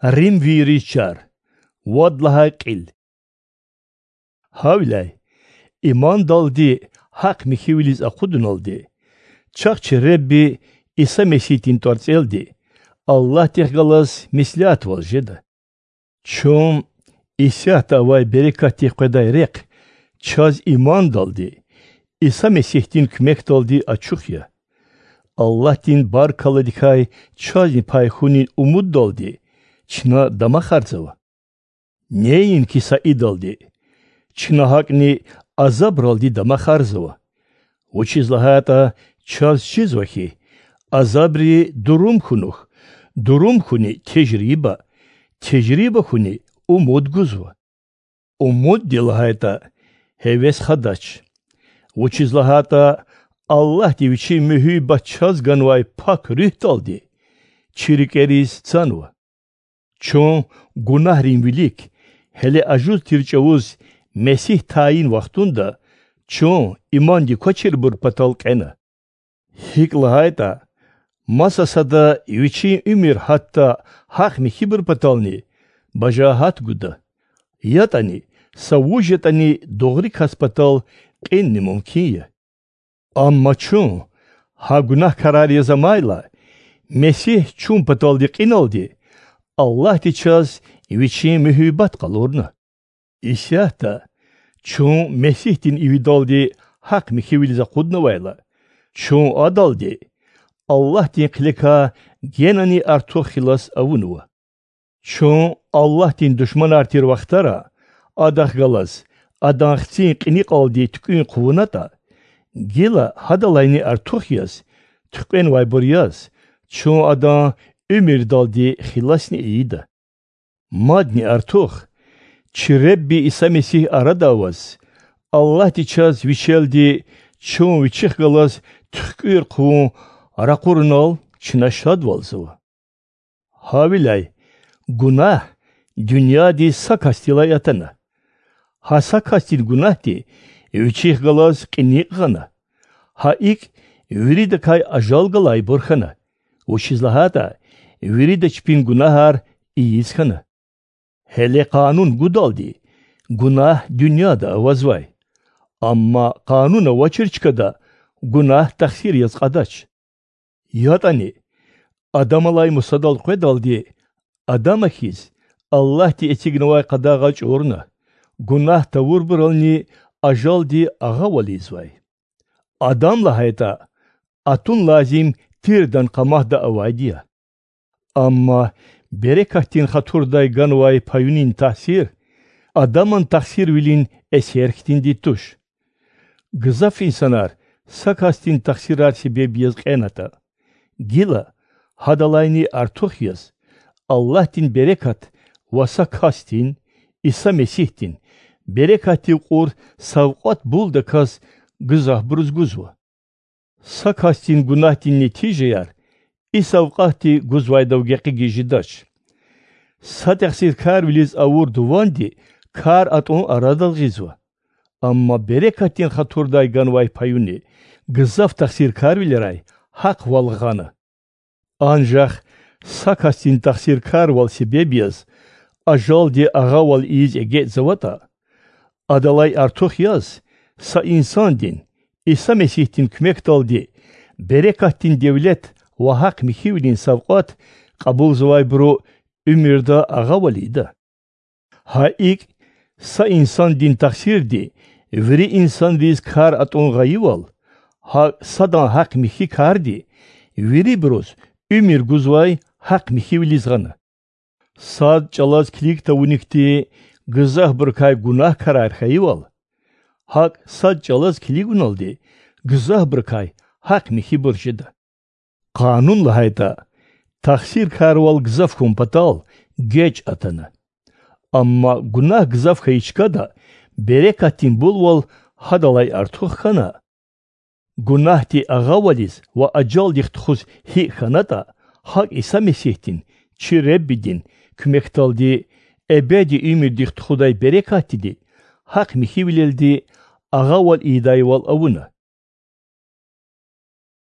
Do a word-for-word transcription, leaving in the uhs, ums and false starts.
Рим виричар, вадлахай къил. Хавилай, имандалди хӀакъ михивилиз ахъудуналде, чагъчи Ребби Иса МесихӀтин торцӀелде, Аллагьтихъ галаз мислиат валжеда. Чон ИсахӀта авай берекатихъ хъведай рекъ чаз имандалде, Иса МесихӀтин кумекалде ачухъя. Аллагьтин баркалладихъай чазни пайхунин умудалде чина дамахарзава. Нейин киса идалде, чина гьакӀни азабралде дамахарзава. Учизлагьата чаз чизвахи, азабри дурумхунух, дурумхуни тежриба, тежрибахуни умуд гузва. Умуд дилагьайта гьевес хадач. Учизлагьата Аллагьти вичи мюхӀюй баччаз ганвай пак рюхӀталде, чирикӀериз цанва. Чон гунагьрин вилик, гьеле ажуз тирчӀавуз МесихӀ тайин вахтунда, чон иманди квачир бурпатал къена. ХӀикӀлагьайта, масасада вичин умир хӀатта хӀакъ михьи бурпатални, бажагьатгуда. ЯтӀани, са вужетӀани догъри каспатал къинни мумкиния. Амма чон, гьа гунагькараряза майла, МесихӀ чун паталде къиналде, Аллагьти час вичин мюхӀюй къалурна. ИсахӀта чон МесихӀтин ивидалде хӀакъ михьивилиза хъуднавайла, чон адалде Аллагьтин хъилека генани артухъ хилас авунува. Чон Аллагьтин душманартир вахтара, адахгалаз адан хцин къиникъалде ткӀвин хъувунатӀа, гила хӀадалайни артухъяз, ткӀвен вайбуряз, чон адан умирдалде хиласни ийида. Мадни артухъ, чи Ребби Иса МесихӀ арадаваз, Аллагьти час вичелде чон вичихгалаз тхӀкӀвир хъувун рахъурунал чина шадвалзава. Гьавилай, гунагь дунъяде сакастилай атана. Гьа сакастин гунагьти вичихгалаз къиникъгӀана. Гьа икӀ виридакай ажалгалай борхана. Учизлагьата вирида чпин гунагьар ийизхана. Гьеле къанун гудалде гунагь дунъяда авазвай. Амма къануна вачирчкада гунагь тахсиряз къадач. ЯтӀани, Адамалай Мусадал хъведалде, Адамахиз Аллагьти эцигнавай къадагъа чӀурна, гунагь тавурбурални ажалде агъавализвай. Адамла гьайта атун лазим тирдан къамагьда авайдия. Амма берекаттин хатурдай ганвай паюнин тахсир, Адаман тахсир вилин эсерхтин дитуш. Гзаф инсанар сакастин тахсирар себебияз къената. Гила хӀадалайни артухъяз, Аллагьтин берекат ва сакастин, Иса МесихӀтин, берекатив къур савкъат булдаказ гзагь буруз гузва. Сакастин гунагьтин нетижаяр, и савкъатти гузвайдавгекъиги жидач. Са тахсиркар вилиз авур дуванде кар атӀун арадалгъизва. Амма берекаттин хатурдай ганвай паюни, гзаф тахсиркар виларай хӀакъ валгъана. Анжах сакастин тахсиркар вал себебияз, ажалде агъавал ийиз эгеъзаватӀа, адалай артухъяз, са инсандин, Иса МесихӀтин кумекталде, берекаттин девлет ва хӀакъ михьивилин савкъат къабулзавай буро умирда агъавалида. Гьа икӀ са инсандин тахсирде, вири инсандиз кар атӀун гъайивал, гьа садан хӀакъ михьи карде, вири буруз умир гузвай хӀакъ михьивилизгъана. Сад чӀалаз киликта вуникти гзагь буркай гунагькарар хайивал, гьакӀ сад чӀалаз килигуналде гзагь буркай хӀакъ михьи буржида. Къанунла гьайта тахсиркарвал гзафхун патал гечӀ атана. Амма гунагь гзаф хайичкада берекаттин булвал хӀадалай артухъ хана. Гунагьти агъавализ ва ажалдихъ тхуз хӀиъ ханатӀа, гьакӀ Иса МесихӀтин, чи Реббидин, кумекталде эбеди умирдихъ тхудай берекаттиде хӀакъ михьивилелде агъавал ийдайвал авуна.